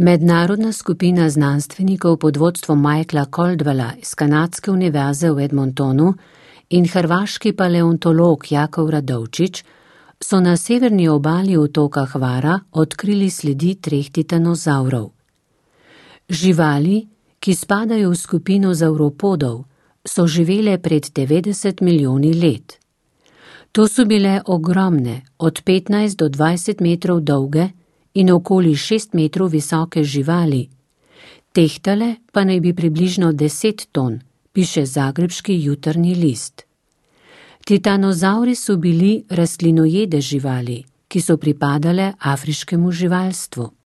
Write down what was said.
Mednarodna skupina znanstvenikov pod vodstvom Michaela Caldwella iz Kanadske univerze v Edmontonu in hrvaški paleontolog Jakov Radovčić so na severni obali otoka Hvara odkrili sledi 3 titanozavrov. Živali, ki spadajo v skupino zavropodov, so živele pred 90 milijoni let. To so bile ogromne, od 15 do 20 metrov dolge in okoli 6 metrov visoke živali. Tehtale pa naj bi približno 10 ton, piše zagrebški Jutarnji list. Titanozavri so bili rastlinojede živali, ki so pripadale afriškemu živalstvu.